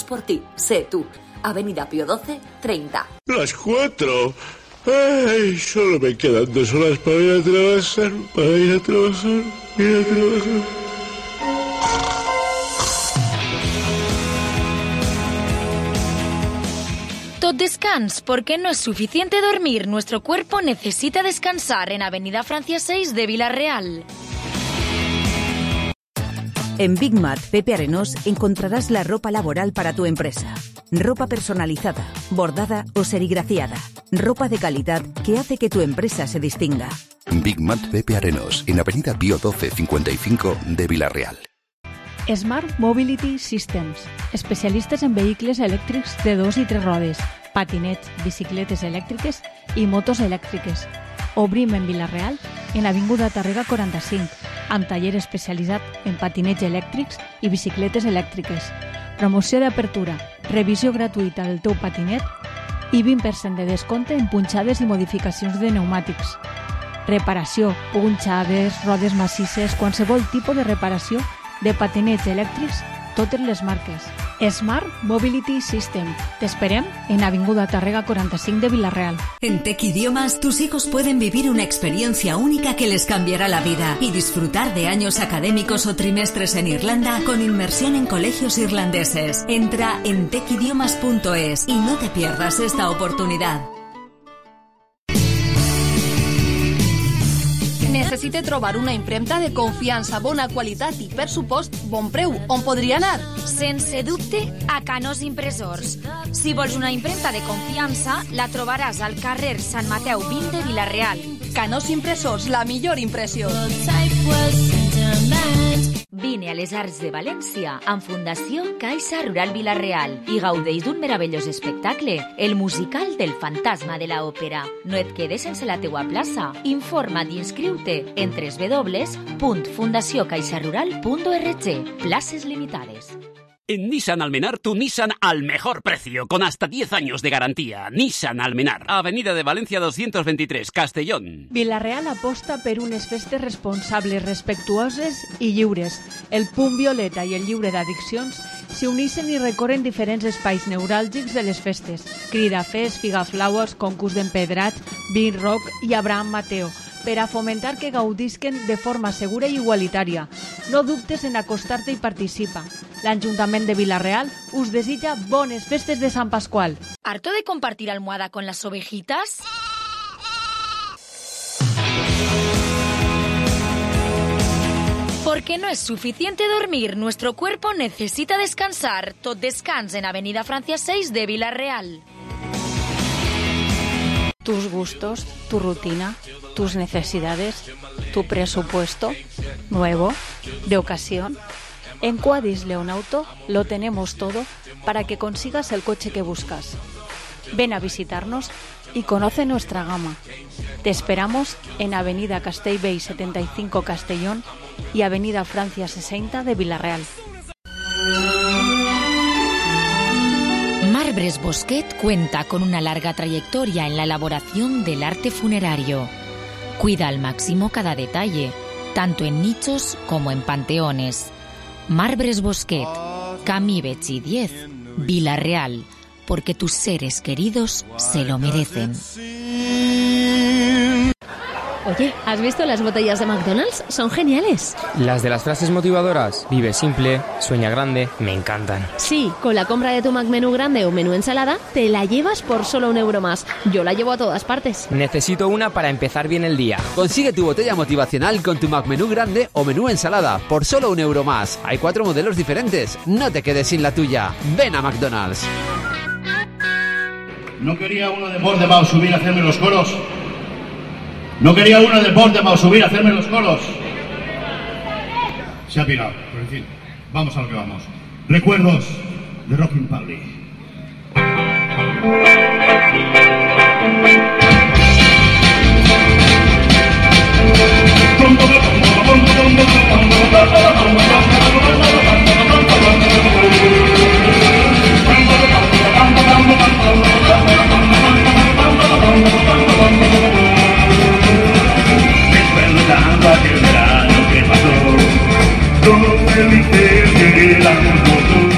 por ti, sé tú. Avenida Pío XII, 30. Las 4. Ay, solo me quedan 2 horas para ir a trabajar. Tot descans, porque no es suficiente dormir. Nuestro cuerpo necesita descansar en Avenida Francia 6 de Villarreal. En Big Mat Pepe Arenós encontrarás la ropa laboral para tu empresa. Ropa personalizada, bordada o serigrafiada. Ropa de calidad que hace que tu empresa se distinga. Big Mat Pepe Arenós, en Avenida Pío XII 55 de Villarreal. Smart Mobility Systems, especialistes en vehicles elèctrics de 2 i 3 rodes, patinets, bicicletes elèctriques i motos elèctriques. Obrim en Villarreal, en Avinguda Tàrrega 45, amb taller especialitzat en patinets elèctrics i bicicletes elèctriques. Promoció d'apertura, revisió gratuïta del teu patinet i 20% de descompte en punxades i modificacions de pneumàtics. Reparació, punxades, rodes massisses, qualsevol tipus de reparació de patinets elèctrics, totes les marques. Smart Mobility System. Te esperem en Avinguda Tàrrega 45 de Villarreal. En Tech Idiomas, tus hijos pueden vivir una experiencia única que les cambiará la vida y disfrutar de años académicos o trimestres en Irlanda con inmersión en colegios irlandeses. Entra en techidiomas.es y no te pierdas esta oportunidad. Necessite trobar una impremta de confiança, bona qualitat i, per supost, bon preu. On podria anar? Sense dubte, a Canós Impressors. Si vols una impremta de confiança, la trobaràs al carrer Sant Mateu 20 de Villarreal. Canós Impressors, la millor impressió. Vine a les Arts de València amb Fundació Caixa Rural Villarreal i gaudeix d'un meravellós espectacle, el musical del fantasma de la òpera. No et quedes sense la teua plaça. Informa't i inscriu-te en www.fundaciocaixarural.org. Places limitades. En Nissan Almenar, tu Nissan al mejor precio, con hasta 10 años de garantía. Nissan Almenar, Avenida de Valencia 223, Castellón. Villarreal aposta per unes festes responsables, respectuoses i lliures. El Punt Violeta i el Lliure d'Addiccions s'uneixen i recorren diferents espais neuràlgics de les festes. Cridafest, Figaflaues, concurs d'empedrats, Beat Rock i Abraham Mateo, per a fomentar que gaudisquen de forma segura i igualitària. No dubtes en acostar-te i participa. L'Ajuntament de Villarreal us desitja bones festes de Sant Pasqual. ¿Harto de compartir almohada con las ovejitas? Porque no es suficiente dormir, nuestro cuerpo necesita descansar. Tot descans en Avenida Francia 6 de Villarreal. Tus gustos, tu rutina, tus necesidades, tu presupuesto, nuevo, de ocasión. En Quadis Leonauto lo tenemos todo para que consigas el coche que buscas. Ven a visitarnos y conoce nuestra gama. Te esperamos en Avenida Castellbell 75 Castellón y Avenida Francia 60 de Villarreal. Marbres Bosquet cuenta con una larga trayectoria en la elaboración del arte funerario. Cuida al máximo cada detalle, tanto en nichos como en panteones. Marbres Bosquet, Camí Betxí 10, Villarreal, porque tus seres queridos se lo merecen. Oye, ¿has visto las botellas de McDonald's? Son geniales. Las de las frases motivadoras, vive simple, sueña grande, me encantan. Sí, con la compra de tu McMenú grande o menú ensalada, te la llevas por solo €1 más. Yo la llevo a todas partes. Necesito una para empezar bien el día. Consigue tu botella motivacional con tu McMenú grande o menú ensalada por solo €1 más. Hay 4 modelos diferentes. No te quedes sin la tuya. Ven a McDonald's. ¿No quería uno de Portemao subir a hacerme los coros? ¿No quería uno de Portemao subir a hacerme los coros? Se ha pirado, pero en fin, vamos a lo que vamos. Recuerdos de Rockin' Public. Recordando aquel verano que pasó, todos felices éramos nosotros.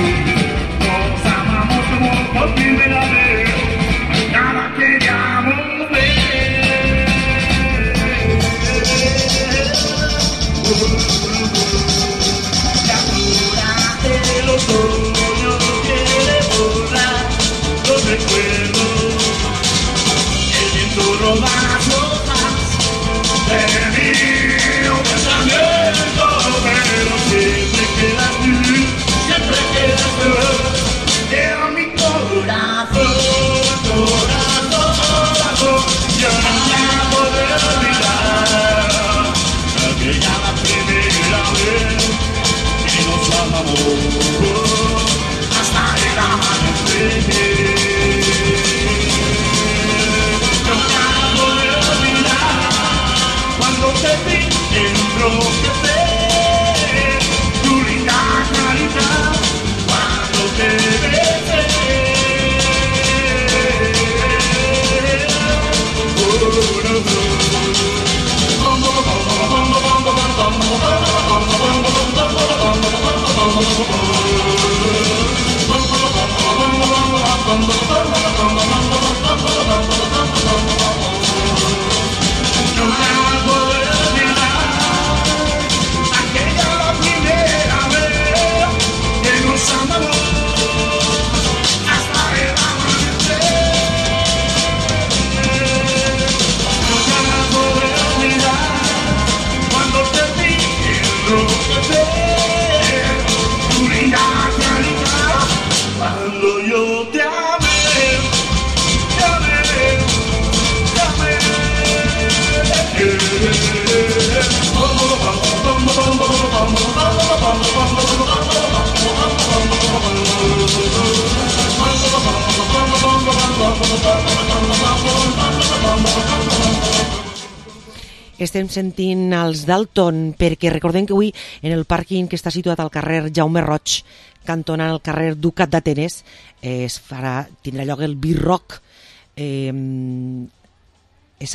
Estem sentint els Dalton perquè recordem que avui en el pàrquing que està situat al carrer Jaume Roig, cantonant el carrer Ducat d'Atenes, tindrà lloc el B-Rock.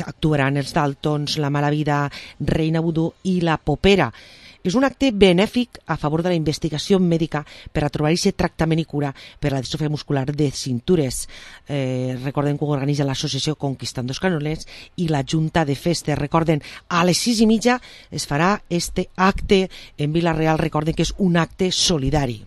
Actuaran els Daltons, La Mala Vida, Reina Vudú i La Popera. És un acte benèfic a favor de la investigació mèdica per a trobar aquest tractament i cura per a la distròfia muscular de cintures. Recordem que ho organitza l'associació Conquistando Escanoles i la Junta de Festes. Recorden, a les 6:30 es farà este acte en Vila-real. Recorden que és un acte solidari.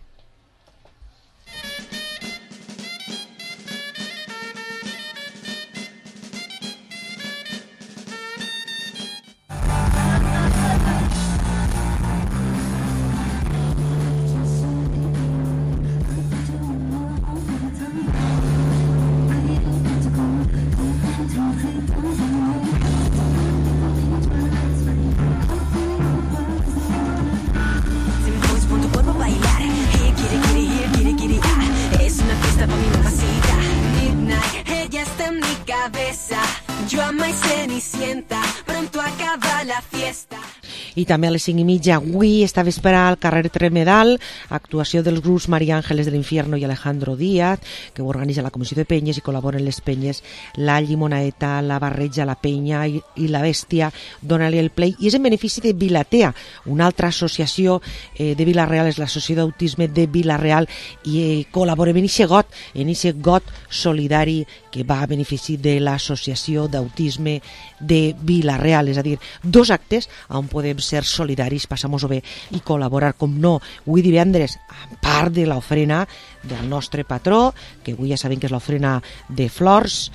I també a les 5:30 avui, esta vesprada, al carrer Tremedal, actuació dels grups María Ángeles del Infierno i Alejandro Díaz, que ho organitza la Comissió de Penyes i col·laboren les penyes La Llimonaeta, La Barreja, La Penya i La Bèstia. Dóna-li el play. I és en benefici de Vilatea, una altra associació de Vila-real, és l'Associació d'Autisme de Vila-real, i col·laborem en aquest got solidari que va a benefici de l'Associació d'Autisme de Vila-real. És a dir, dos actes on podem ser solidaris, passar-nos-ho bé i col·laborar, com no, avui divendres, a part de l'ofrena del nostre patró, que avui ja sabem que és l'ofrena de flors.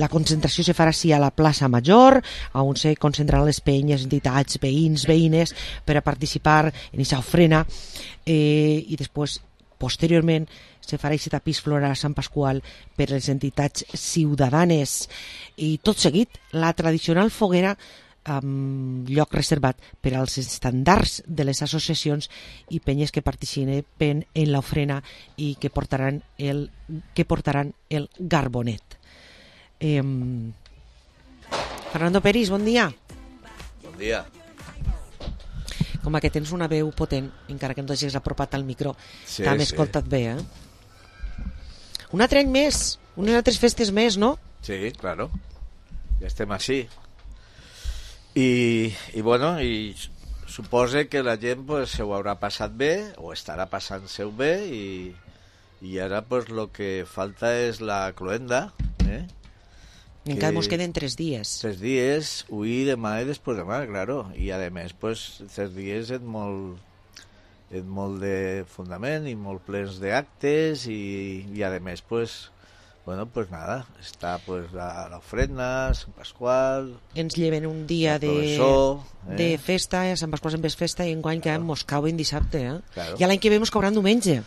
La concentració se farà a la plaça Major, on se concentraran les penyes, entitats, veïns, veïnes, per a participar en aquesta ofrena, i després, posteriorment, se farà aquest tapís floral a Sant Pasqual per les entitats ciutadanes. I tot seguit, la tradicional foguera amb lloc reservat per als estandards de les associacions i penyes que participen en l'ofrena i que portaran el garbonet. Fernando Peris, bon dia. Bon dia. Com que tens una veu potent, encara que no t'hagis apropat al micro, sí, t'hem escoltat bé, Un altre any més, unes altres festes més, no? Sí, claro. Ja estem així. I bueno, i supose que la gent pues, se ho haurà passat bé o estarà passant-se-ho bé i ara pues, lo que falta és la cloenda, Encara ens queden 3 dies. 3 dies, avui, demà i després demà, claro. I a més, pues, 3 dies és molt de fundament i molt plens d'actes i a més, pues, bueno, pues nada, està pues l'ofrena, Sant Pasqual... Ens lleven un dia de festa, a Sant Pasqual sempre és festa i enguany que mos cauen dissabte, Claro. I l'any que ve mos cauran diumenge.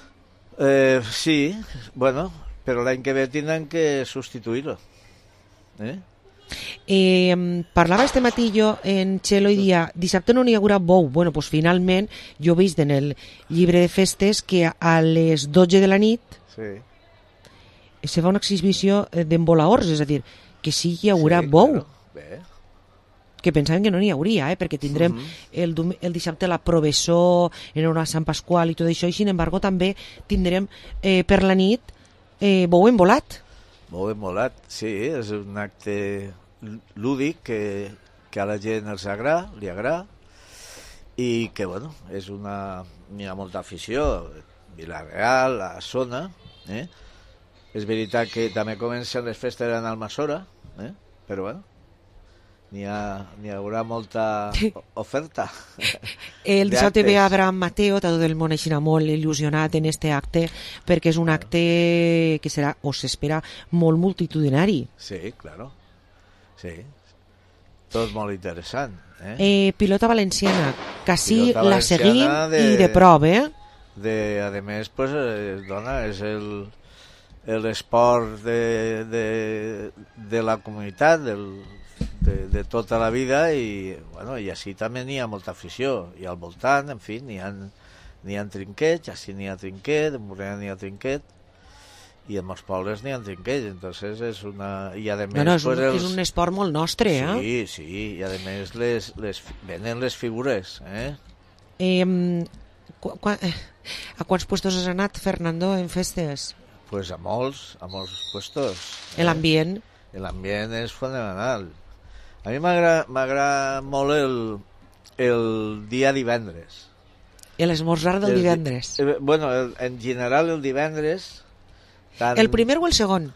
Sí, bueno, però l'any que ve tindran que substituir-lo. Parlava este matí jo en Txelo i dia dissabte no n'hi haurà bou. Bueno, pues finalment jo he vist en el llibre de festes que a les 12 de la nit se fa una exhibició d'embolaors, és a dir, que sí hi haurà bou. Bé. Que pensaven que no n'hi hauria, perquè tindrem el dissabte la Provessó en honor a Sant Pasqual i tot això, i sin embargo també tindrem per la nit bou embolat. Bou embolat, sí, és un acte lúdic que a la gent li agrada i que, bueno, hi ha molta afició, Vila-real, la zona, És veritat que també comencen les festes en Almassora, però bueno, n'hi haurà molta oferta. El dissabte ve Abraham Mateo, tot el món així molt il·lusionat en este acte, perquè és un acte que serà, o s'espera, molt multitudinari. Sí, claro. Sí. Tot molt interessant. Pilota valenciana, quasi la seguim i de prova, a més, pues, dona, és l'esport de la comunitat, de tota la vida, i així també n'hi ha molta afició, i al voltant, en fi, n'hi ha trinquets, així n'hi ha trinquet, en Borriana n'hi ha trinquet, i en molts pobles n'hi ha trinquets, entonces és una... I a més, és un esport molt nostre, Sí, i a més venen les figures, A quants puestos has anat, Fernando, en festes? Pues a molts puestos. L'ambient? L'ambient és fenomenal. A mi m'agrada molt el dia divendres. L'esmorzar del divendres? Bueno, en general el divendres... El primer o el segon?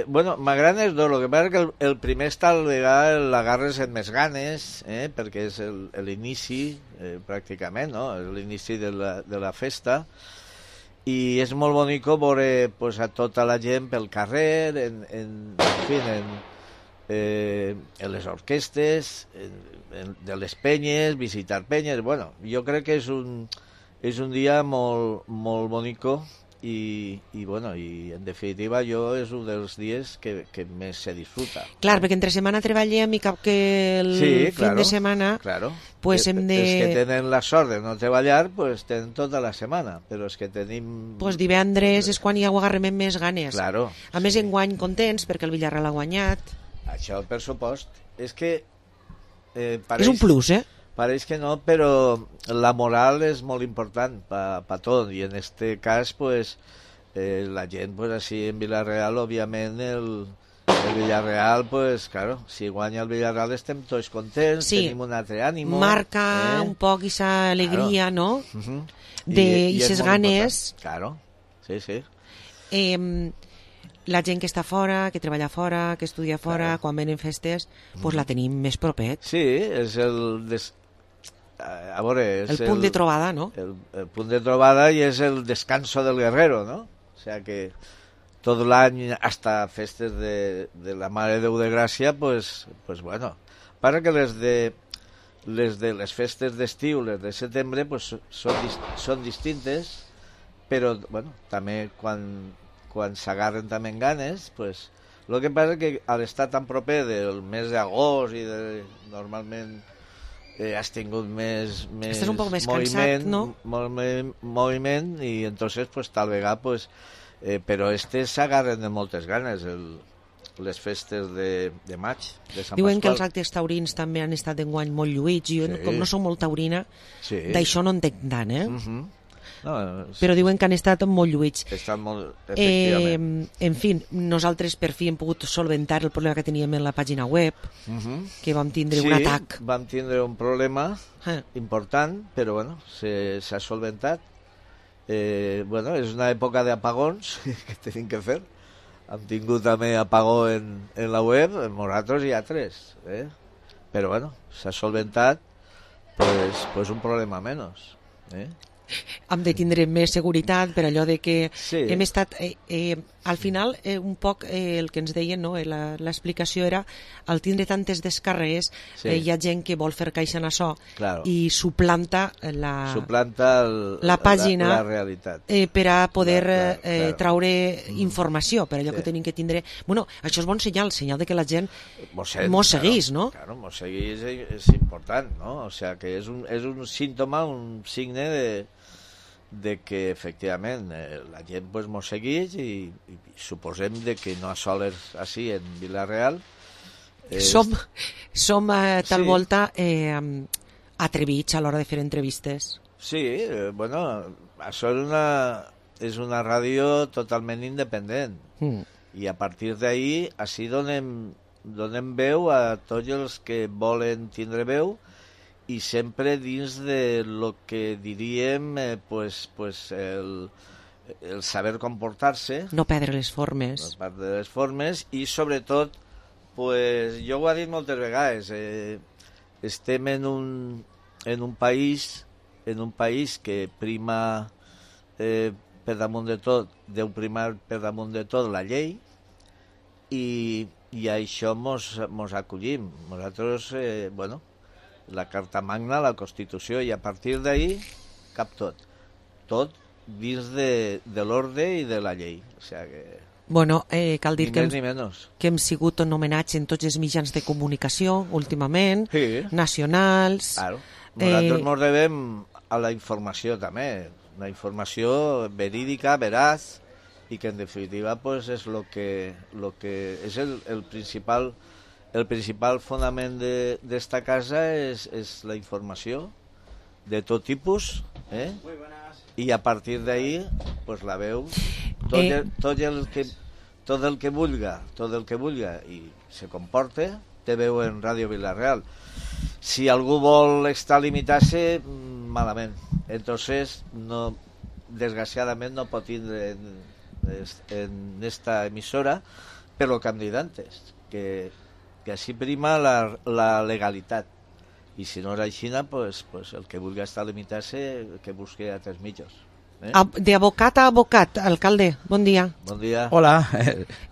Bueno, m'agraden els dos. El que passa és que el primer tal vegada l'agarres amb més ganes, perquè és l'inici, pràcticament, no? És l'inici de la festa, i és molt bonic veure pues, a tota la gent pel carrer, en les orquestes, de les penyes, visitar penyes. Bueno, jo crec que és un dia molt, molt bonic, i en definitiva jo és un dels dies que més se disfruta. Clar, perquè entre setmana treballem i cap que el fin de setmana pues hem de... Els que tenen la sort de no treballar pues tenen tota la setmana, però els que tenim... Pues divendres és quan hi agarrem més ganes. Claro. A més, enguany contents perquè el Villarreal ha guanyat. Això, per supost. És que... és un plus, Pareix que no, però la moral és molt important pa tot, i en este cas pues, la gent pues, així en Villarreal, òbviament el Villarreal, pues, claro, si guanya el Villarreal estem tots contents, tenim un altre ànimo. Marca un poc aquesta alegria, no? I ses ganes. Claro, sí. La gent que està fora, que treballa fora, que estudia fora, quan venen festes, pues la tenim més propet. Sí, és a veure, és el punt de trobada, no? El punt de trobada i és el descanso del guerrero, ¿no? O sea que tot l'any, hasta festes de la Mare de Déu de Gràcia, pues bueno. Para que les de les festes d'estiu, les de setembre, pues són distintes, però, bueno, també quan s'agarren també en ganes, pues... El que passa és que al estar tan proper del mes d'agost i normalment has tingut més estàs un poc més moviment, cansat, no? Moviment, i entonces pues, tal vegada pues, però s'agarren de moltes ganes les festes de maig, de Sant Diuen Pasqual. que els actes taurins també han estat enguany molt lluïts. Jo, com no soc molt taurina, d'això no entenc tant, No, però diuen que han estat molt lluïts. Estan molt, efectivament. En fi, nosaltres per fi hem pogut solventar el problema que teníem en la pàgina web, que vam tindre un atac. Sí, vam tindre un problema important, però bueno, s'ha solventat. Bueno, és una època d'apagons que tenim que fer. Hem tingut també apagó en la web, en nosaltres i altres. Però bueno, s'ha solventat, pues un problema menys. Hem de tindre més seguretat per allò de que hem estat al final un poc el que ens deien, no? L'explicació era al tindre tantes descàrregues hi ha gent que vol fer caixa en això i suplanta la pàgina la realitat per a poder traure informació, per allò que tenim que tindre. Bueno, això és bon senyal de que la gent mos seguís, no? Claro, mos seguís és important, no? O sea, que és un símptoma, un signe de que efectivament la gent pues, mos segueix i suposem de que no sols així en Villarreal som tal volta atrevits a l'hora de fer entrevistes. Sí, bueno, això és una ràdio totalment independent i a partir d'ahí així donem veu a tots els que volen tindre veu i sempre dins de lo que diríem el saber comportar-se, no perdre les formes, i sobretot, pues, jo ho he dit moltes vegades, estem en un país que prima per damunt de tot, deu primar per damunt de tot la llei, i a això mos acollim. Nosaltres, la Carta Magna, la Constitució, i a partir d'ahí cap tot dins de l'ordre i de la llei. O sigui que... Bueno, cal dir que hem sigut anomenats en tots els mitjans de comunicació últimament, nacionals... Claro. Nosaltres ens devem a la informació també, una informació verídica, veraç, i que en definitiva pues, és lo que és el principal fonament d'esta casa és la informació de tot tipus, i a partir d'ahí pues, la veu tot el que vulga i se comporte té veu en Ràdio Vila-real. Si algú vol estar limitant-se, malament. Entonces, desgraciadament no pot tindre en esta emissora, per lo que hem dit antes, que així prima la legalitat. I si no és així, pues el que vulgui estar limitant-se, que busqui altres mitjans. De abocat a abocat, alcalde, bon dia. Bon dia. Hola,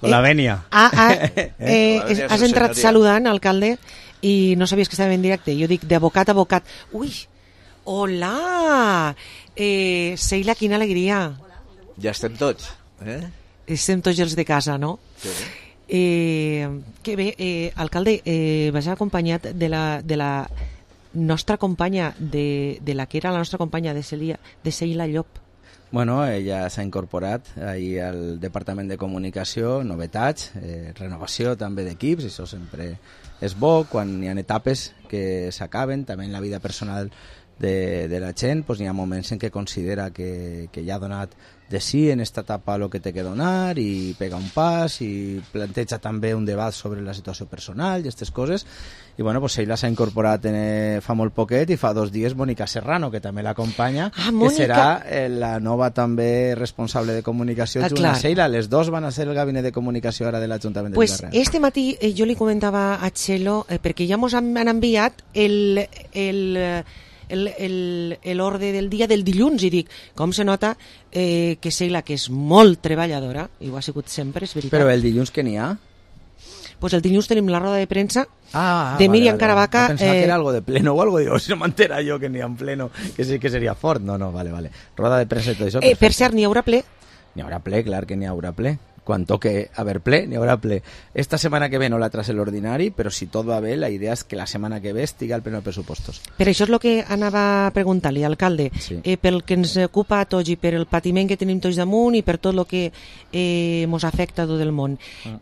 con la venia. Has entrat saludant, alcalde, i no sabies que estava en directe. Jo dic d'abocat a abocat. Ui, hola! Seila, quina alegria. Ja estem tots. Estem tots els de casa, no? Sí. Que bé, alcalde, vas acompanyat de la nostra companya, de la que era la nostra companya de Seila Llop. Bueno, ella s'ha incorporat ahir al Departament de Comunicació, novetats, renovació també d'equips, això sempre és bo, quan hi ha etapes que s'acaben, també en la vida personal de la gent, doncs hi ha moments en què considera que ja ha donat de sí en esta etapa el que té que donar i pega un pas i planteja també un debat sobre la situació personal i aquestes coses. I bueno, pues ella s'ha incorporat fa molt poquet i fa 2 dies Mònica Serrano, que també l'acompanya, que serà la nova també responsable de comunicació junt a Seila. Les dos van a ser el gabinet de comunicació ara de l'Ajuntament de Vila-real. Este matí jo li comentava a Txelo, perquè ja ens han enviat l'ordre del dia del dilluns, i dic, com se nota que Seila, que és molt treballadora, i ho ha sigut sempre, és veritat. Però el dilluns que n'hi ha? Pues el dilluns tenim la roda de premsa de Míriam Caravaca. Pensava que era algo de pleno o algo, digo, si no m'entera jo que n'hi ha en pleno, que sí que seria fort. No, vale. Roda de premsa i tot això. Per cert, n'hi haurà ple? N'hi haurà ple, clar que n'hi haurà ple. Quan toque haver ple, n'hi haurà ple. Esta setmana que ve no la traç l'ordinari, però si tot va bé, la idea és que la setmana que ve estigui al pleno de pressupostos. Per això és el que anava a preguntar-li, alcalde. Sí. Pel que ens ocupa a tots i per el patiment que tenim tots damunt i per tot el que ens afecta a tot el món.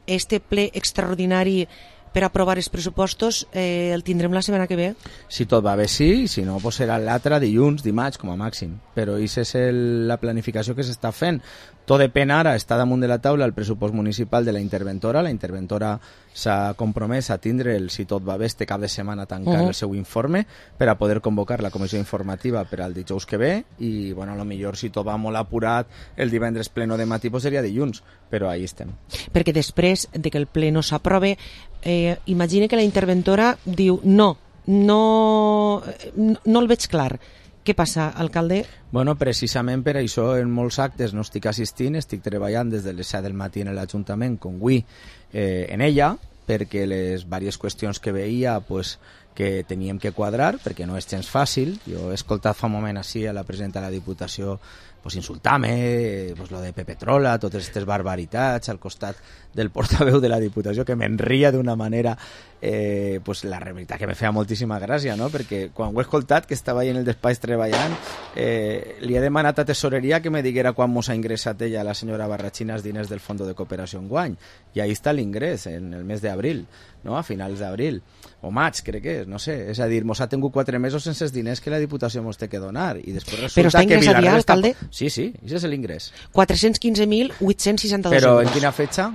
Este ple extraordinari per aprovar els pressupostos el tindrem la setmana que ve? Si tot va bé, sí, si no, pues serà l'altre dilluns, dimarts, com a màxim. Però aquesta és la planificació que s'està fent. Tot depèn ara, està damunt de la taula el pressupost municipal de la interventora. La interventora s'ha compromès a tindre, si tot va bé, este cap de setmana tancar el seu informe per a poder convocar la comissió informativa per al dijous que ve i, bueno, a lo millor si tot va molt apurat el divendres pleno de matí pues seria dilluns, però ahí estem. Perquè després de que el ple no s'aprove, imagine que la interventora diu no el veig clar. Què passa, alcalde? Bueno, precisament per això en molts actes no estic assistint, estic treballant des de les 7 del matí en l'Ajuntament com avui en ella, perquè les diverses qüestions que veia pues, que teníem que quadrar, perquè no és gens fàcil. Jo he escoltat fa un moment així a la presidenta de la Diputació pues, insultar-me, pues, lo de Pepe Trola, totes aquestes barbaritats al costat del portaveu de la Diputació, que m'enria d'una manera pues, la veritat que me feia moltíssima gràcia, no? Perquè quan ho he escoltat, que estava ahí en el despatx treballant, li he demanat a Tesoreria que me diguera quan mos ha ingressat ella, la senyora Barrachina, els diners del Fondo de Cooperació enguany, i ahí està l'ingrés, en el mes d'abril, no? A finals d'abril o maig, crec que és, no sé, és a dir, mos ha tingut 4 mesos sense els diners que la Diputació mos té que donar, i després resulta però està que Vila-real, alcalde? Sí, això és l'ingrés. 415.862 Però euros. en quina fetxa?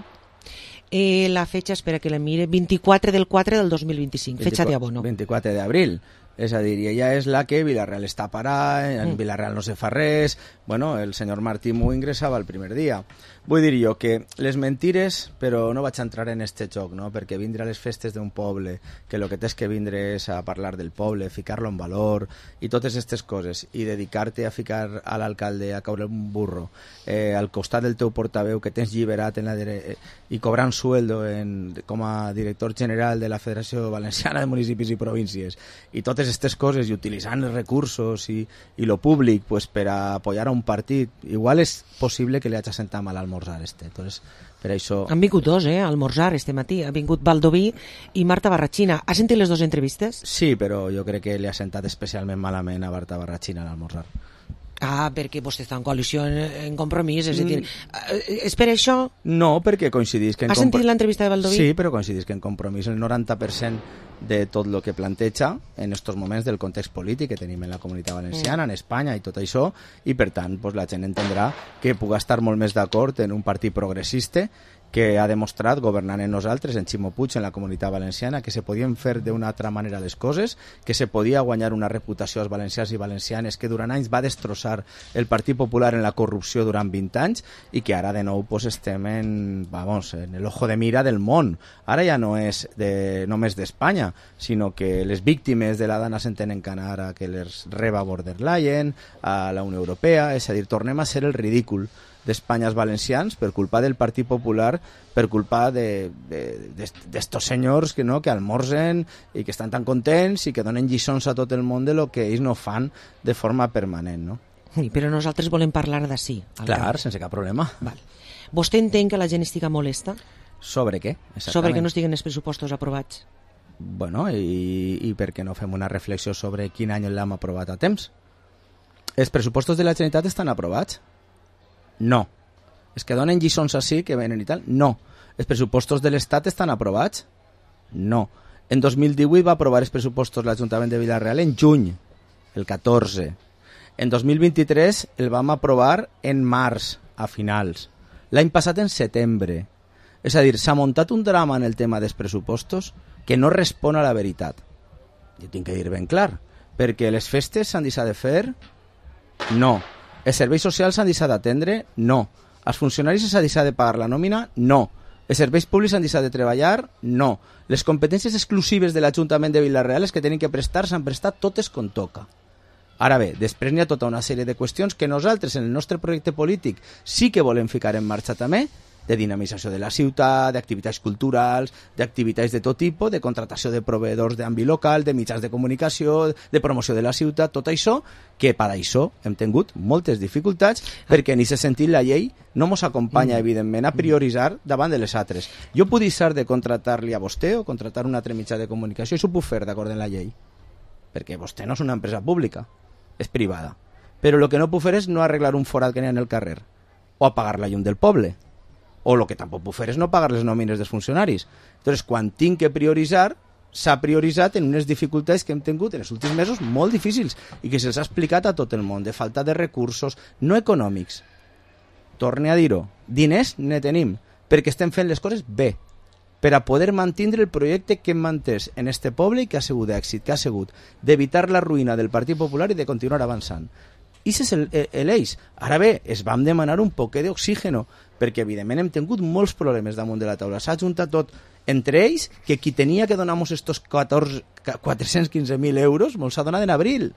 La fecha, espera que la mire, 24 del 4 del 2025, fecha de abono. 24 d'abril. És a dir, ella és la que Villarreal està parada, en Villarreal no se fa res, bueno, el senyor Martí m'ho ingressava el primer dia. Vull dir jo que les mentires, però no vaig entrar en este joc, no? Perquè vindre a les festes d'un poble, que el que tens que vindre és a parlar del poble, ficar-lo en valor i totes aquestes coses, i dedicar-te a ficar a l'alcalde a caure un burro al costat del teu portaveu que tens lliberat i cobrant sueldo com a director general de la Federació Valenciana de Municipis i Províncies, i totes aquestes coses, i utilitzant els recursos i lo públic pues, per a apoyar a un partit, igual és possible que li hagi sentat mal almorzar Entonces, per això... Han vingut dos, a almorzar este matí. Ha vingut Baldoví i Marta Barrachina. Has sentit les dues entrevistes? Sí, però jo crec que li ha sentat especialment malament a Marta Barrachina a l'almorzar. Ah, perquè vostè està en coalició, en compromís, és a dir, és per això? No, perquè coincidís que... Has sentit l'entrevista de Baldoví? Sí, però coincidís que en compromís el 90% de tot el que planteja en estos moments del context polític que tenim en la Comunitat Valenciana, en Espanya i tot això, i per tant pues, la gent entendrà que puga estar molt més d'acord en un partit progressista que ha demostrat, governant en nosaltres, en Ximo Puig, en la Comunitat Valenciana, que se podien fer d'una altra manera les coses, que se podia guanyar una reputació als valencians i valencianes que durant anys va destrossar el Partit Popular en la corrupció durant 20 anys i que ara de nou pues, estem en el ojo de mira del món. Ara ja no és només d'Espanya, sinó que les víctimes de la Dana se'n tenen que anar a que les reba von der Leyen, a la Unió Europea, és a dir, tornem a ser el ridícul d'Espanya als valencians per culpa del Partit Popular, per culpa d'estos senyors que almorzen i que estan tan contents i que donen lliçons a tot el món de lo que ells no fan de forma permanent, no? Sí, però nosaltres volem parlar d'ací. Clar, sense cap problema. Val. Vostè entén que la gent estigui molesta? Sobre què? Exactament. Sobre que no estiguen els pressupostos aprovats. Bueno, i per què no fem una reflexió sobre quin any l'hem aprovat a temps? Els pressupostos de la Generalitat estan aprovats? No. És que donen lliçons així, que venen i tal? No. Els pressupostos de l'Estat estan aprovats? No. En 2018 va aprovar els pressupostos l'Ajuntament de Villarreal en juny, el 14. En 2023 el vam aprovar en març, a finals. L'any passat en setembre. És a dir, s'ha muntat un drama en el tema dels pressupostos que no respon a la veritat. Jo tinc que dir ben clar, perquè les festes s'han deixat de fer? No. Els serveis socials s'han deixat d'atendre? No. Els funcionaris s'ha deixat de pagar la nòmina? No. Els serveis públics s'han deixat de treballar? No. Les competències exclusives de l'Ajuntament de Villarreal que tenen que prestar s'han prestat totes com toca. Ara bé, després n'hi ha tota una sèrie de qüestions que nosaltres en el nostre projecte polític sí que volem ficar en marxa també, de dinamització de la ciutat, d'activitats culturals, d'activitats de tot tipus, de contratació de proveïdors d'àmbit local, de mitjans de comunicació, de promoció de la ciutat, tot això, que per això hem tingut moltes dificultats, perquè en aquest sentit la llei no ens acompanya, evidentment, a prioritzar davant de les altres. Jo puc deixar de contratar-li a vostè o contratar un altre mitjà de comunicació, això ho puc fer d'acord amb la llei, perquè vostè no és una empresa pública, és privada. Però el que no puc fer és no arreglar un forat que n'hi ha en el carrer, o apagar la llum del poble, o el que tampoc puc fer és no pagar les nòmines dels funcionaris. Entonces, quan tinc que prioritzar, s'ha prioritzat en unes dificultats que hem tingut en els últims mesos molt difícils i que se'ls ha explicat a tot el món, de falta de recursos no econòmics. Torne a dir-ho, diners ne tenim, perquè estem fent les coses bé, per a poder mantenir el projecte que hem mantès en este poble i que ha sigut d'èxit, que ha sigut d'evitar la ruïna del Partit Popular i de continuar avançant. I és l'eix. Ara bé, es vam demanar un poquet d'oxígeno, perquè evidentment hem tingut molts problemes damunt de la taula. S'ha juntat tot, entre ells, que qui tenia que donar-nos estos 415.000 euros mos ha donat en abril.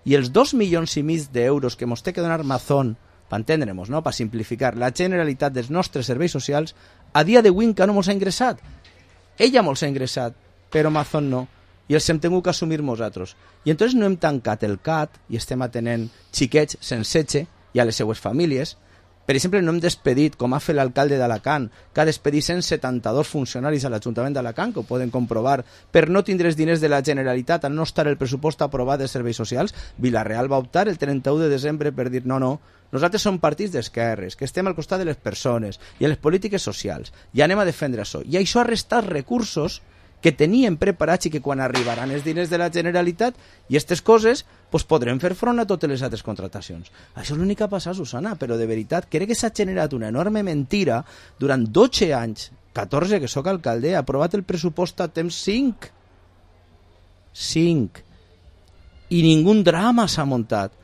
I els 2,5 milions d'euros que mos té que donar Mazón, per entendre-nos, no? Per simplificar, la Generalitat dels nostres serveis socials, a dia d'avui encara no mos ha ingressat. Ella mos ha ingressat, però Mazón no. I els hem tingut que assumir nosaltres. I entonces no hem tancat el CAT i estem atenent xiquets sense i a les seues famílies. Per exemple, no hem despedit, com ha fet l'alcalde d'Alacant, que ha despedit 172 funcionaris a l'Ajuntament d'Alacant, que ho poden comprovar, per no tindre els diners de la Generalitat, al no estar el pressupost aprovat dels serveis socials. Villarreal va optar el 31 de desembre per dir no, nosaltres som partits d'esquerres, que estem al costat de les persones i a les polítiques socials, i anem a defendre això. I això ha restat recursos que tenien preparats i que quan arribaran els diners de la Generalitat i aquestes coses, pues podrem fer front a totes les altres contratacions. Això és l'únic que ha passat, Susana, però de veritat crec que s'ha generat una enorme mentira durant 12 anys, 14 que sóc alcalde, ha aprovat el pressupost a temps 5. i ningú drama s'ha muntat.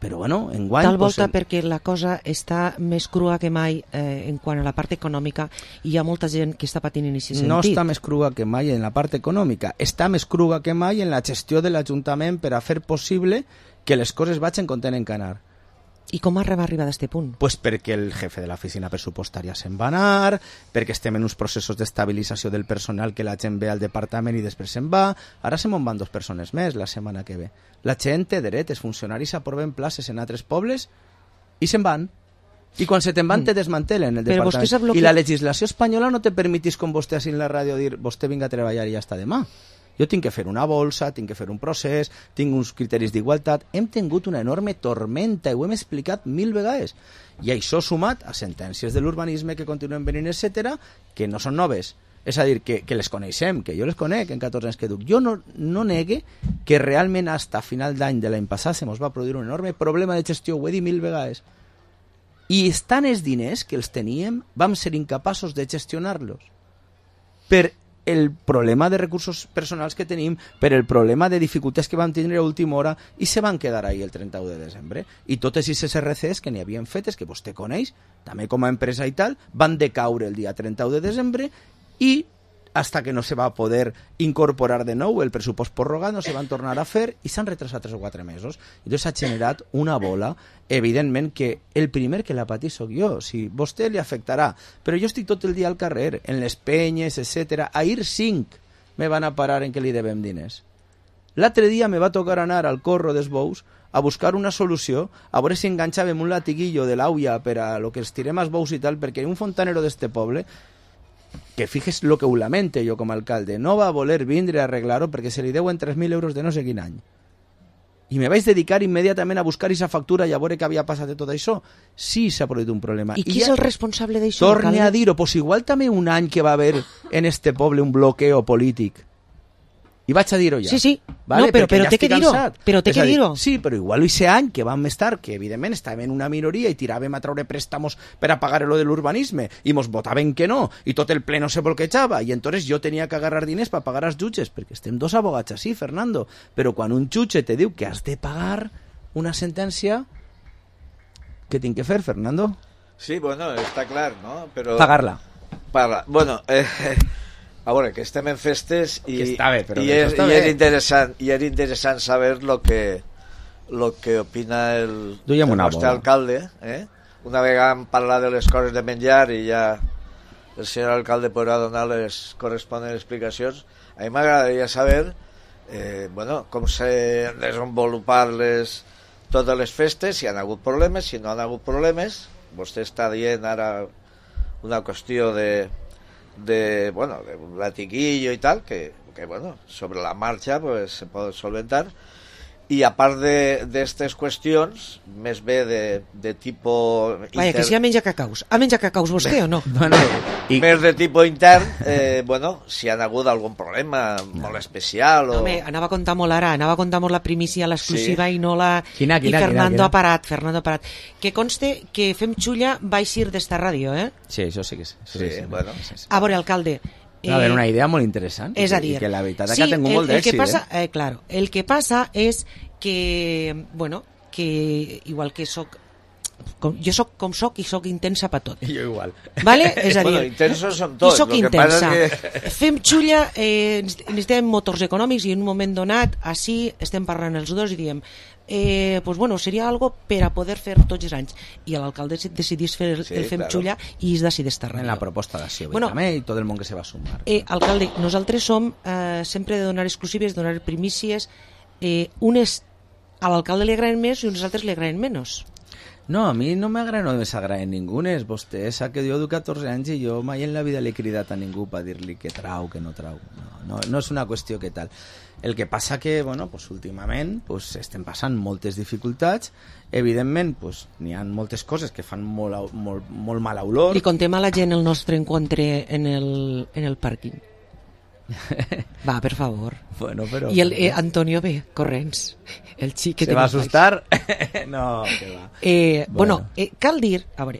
Però bueno, enguany... Tal volta perquè la cosa està més crua que mai en quant a la part econòmica i hi ha molta gent que està patint en aquest sentit. No està més crua que mai en la part econòmica, està més crua que mai en la gestió de l'Ajuntament per a fer possible que les coses vagin com tenen que anar. I com va arribar a aquest punt? Pues perquè el jefe de l'oficina pressupostària se'n va anar, perquè estem en uns processos d'estabilització del personal que la gent ve al departament i després se'n va. Ara se me'n van 2 persones més la setmana que ve. La gent té dret, els funcionaris aproven places en altres pobles i se'n van. I quan se te'n van te desmantelen el departament. I la legislació espanyola no te permetís, com vostè així en la ràdio, dir vostè vinga a treballar i ja està demà. Jo tinc que fer una bolsa, tinc que fer un procés, tinc uns criteris d'igualtat. Hem tingut una enorme tormenta i ho hem explicat 1000 vegades. I això sumat a sentències de l'urbanisme que continuen venint, etc., que no són noves. És a dir, que les coneixem, que jo les conec en 14 anys que duc. Jo no negue que realment fins a final d'any de l'any passat se mos va produir un enorme problema de gestió, ho he dit 1000 vegades. I estant els diners que els teníem, vam ser incapaços de gestionar-los. Per el problema de recursos personals que tenim, per el problema de dificultats que vam tindre a última hora i se van quedar ahí el 31 de desembre. I totes aquestes RCs que n'hi havien fetes, que vostè coneix, també com a empresa i tal, van decaure el dia 31 de desembre i hasta que no se va poder incorporar de nou el pressupost prorrogat, no se van tornar a fer i s'han retrasat 3 o 4 mesos. Llavors s'ha generat una bola, evidentment que el primer que la patís soc jo, si vostè li afectarà, però jo estic tot el dia al carrer, en les penyes, etc. Ahir 5 me van a parar en què li devem diners. L'altre dia me va tocar anar al Corro dels Bous a buscar una solució, a veure si enganxàvem un latiguillo de l'auia per a lo que els tirem als bous i tal, perquè un fontanero d'este poble, que fijes lo que ho lamente jo com a alcalde, no va voler vindre a arreglar-ho perquè se li deuen 3.000 euros de no sé quin any. I me vaig dedicar immediatament a buscar aquesta factura i a veure què havia passat de tot això. Sí, s'ha produït un problema. I qui és el responsable d'això? Torne a dir-ho, pues igual també un any que va haver en este poble un bloqueo polític. I vaig a dir-ho ja. Sí, sí. Vale? No, però té que dir-ho. Però té que dir-ho. Sí, però igual aquest any que vam estar, que evidentment estàvem en una minoria i tiràvem a treure préstamos per a pagar lo de l'urbanisme i mos votaven que no i tot el ple no se bloquejava i entonces jo tenia que agarrar diners per pagar als jutges, perquè estem 2 abogats així, Fernando, però quan un jutge te diu que has de pagar una sentència, què tinc que fer, Fernando? Sí, bueno, està clar, no? Però... Pagar-la. Bueno, a veure, que estem en festes i, que està bé, però i era interessant saber lo que opina el nostre alcalde. Una vegada hem parlat de les coses de menjar i ja el senyor alcalde podrà donar les corresponents explicacions. A mi m'agradaria saber com se desenvolupar totes les festes, si han hagut problemes, si no han hagut problemes. Vostè està dient ara una qüestió de un latiguillo y tal, que sobre la marcha pues se puede solventar. Y a part d'aquestes qüestions, més bé de tipo... Vaja, que si ha menjat cacaus. Ha menjat cacaus vostè o no? Més de tipo intern, si han hagut algun problema molt especial o... Home, anava a contar molt ara, anava a contar molt la primícia, l'exclusiva i no la... Quina. Fernando ha parat. Que conste que Fem Xulla va eixir d'esta ràdio, eh? Sí, això sí que sí. Sí. A veure, alcalde... A veure, una idea molt interessant. És a dir... I que la veritat és que ha tingut molt d'èxit. Claro, el que passa és que, que igual que soc... Jo soc com soc i soc intensa per tot. Jo igual. Vale? És a dir... intensos som tots. I soc intensa. Fem Xulla, necessitem motors econòmics i en un moment donat, així estem parlant els dos i diem seria algo per a poder fer tots els anys. I l'alcalde decidís fer el Fem Xulla i es decideix estar en la proposta d'acció també i tot el món que se va sumar. Alcalde, nosaltres som sempre de donar exclusives, donar primícies. Unes a l'alcalde li agraden més i uns altres li agraden menys. No, a mi no m'agraden o m'agraden ningunes. Vostè sap que jo du 14 anys i jo mai en la vida l'he cridat a ningú per dir-li que trau, que no trau. No és una qüestió que tal. El que passa que, últimament estem passant moltes dificultats. Evidentment, n'hi ha moltes coses que fan molt mala olor. Li contem a la gent el nostre encontre en el pàrquing. Va, per favor. Però... I el Antonio ve, corrents. El xic que se va assustar? No, que va. Cal dir, a veure,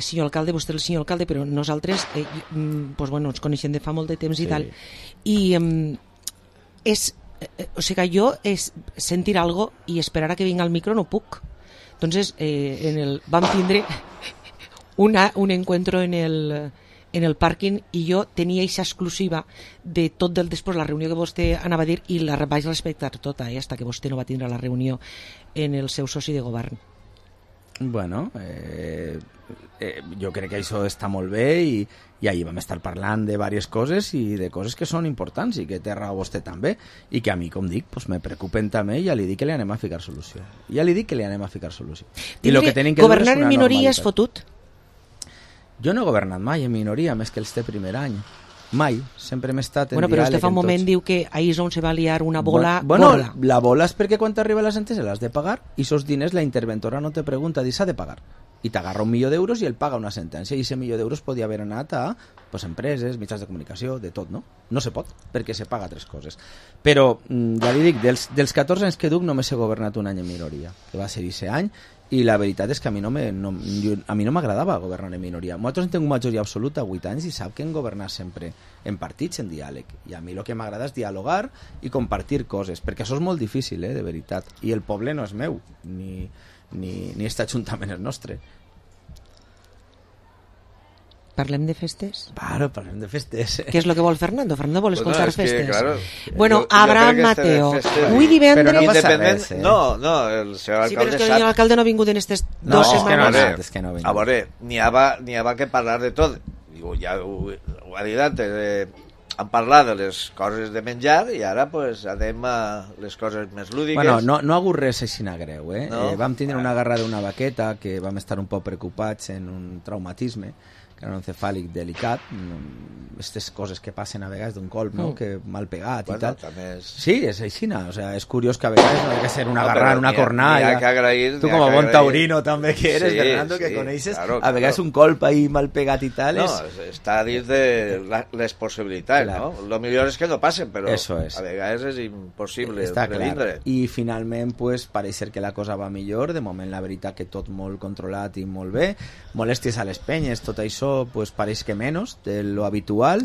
senyor alcalde, vostè és el senyor alcalde, però nosaltres ens coneixem de fa molt de temps i tal, i és o sigui, jo sentir algo i esperar a que vinga el micro no puc. Entonces, vam tindre un encuentro en el pàrquing i jo tenia aquesta exclusiva de tot del després, la reunió que vostè anava a dir, i la vaig respectar tota, hasta que vostè no va tindre la reunió en el seu soci de govern. Bueno, jo crec que això està molt bé i ahir vam estar parlant de diverses coses i de coses que són importants i que té raó vostè també i que a mi, com dic, pues me preocupen també i ja li dic que li anem a ficar solució. I lo que tenim que governar en minoria és fotut? Jo no he governat mai en minoria, més que el este primer any. Mai, sempre m'he estat en diàleg. Però vostè fa un moment diu que ahir és on se va liar una bola bueno, gorda. La bola és perquè quan t'arriba la sentència l'has de pagar i esos diners la interventora no te pregunta, diu s'ha de pagar. I t'agarra 1 milió d'euros i ell paga una sentència i ese 1 milió d'euros podia haver anat a empreses, mitjans de comunicació, de tot, no? No se pot, perquè se paga 3 coses. Però, ja li dic, dels 14 anys que duc només he governat un any en minoria, que va ser aquest any, i la veritat és que a mi no m'agradava governar en minoria. Nosaltres hem tingut majoria absoluta 8 anys i sap que hem governat sempre en partits, en diàleg. I a mi el que m'agrada és dialogar i compartir coses, perquè això és molt difícil, de veritat. I el poble no és meu, ni aquest ajuntament és nostre. Parlem de festes? Claro, parlem de festes. Què és el que vol Fernando? Fernando vol escoltar festes. Claro, bueno, Abraham Mateo. Avui divendres... Però no passa res, No, el senyor alcalde Sí, però és que l'alcalde no ha vingut en aquestes 2 setmanes. És que no ha vingut. A veure, n'hi ha que parlar de tot. Ja ho ha dit antes, han parlat de les coses de menjar i ara pues anem a les coses més lúdiques. Bueno, no ha hagut res així greu, No? Vam tindre una guerra d'una vaqueta que vam estar un poc preocupats en un traumatisme encefàlic delicat, aquestes coses que passen a vegades d'un colp, no? Que mal pegat i tal. Sí, és així, o sea, és curiós que a vegades no ha de ser una agarrar, una cornalla. Tu com a bon taurino també que eres, Fernando, que coneixes, a vegades un colp ahí mal pegat i tal. No, està dins de les possibilitats, no? Lo millor és que no passen, però a vegades és impossible previndre. I finalment, pues, pareix ser que la cosa va millor, de moment la veritat que tot molt controlat i molt bé, molèsties a les penyes, tot això pues pareix que menys de lo habitual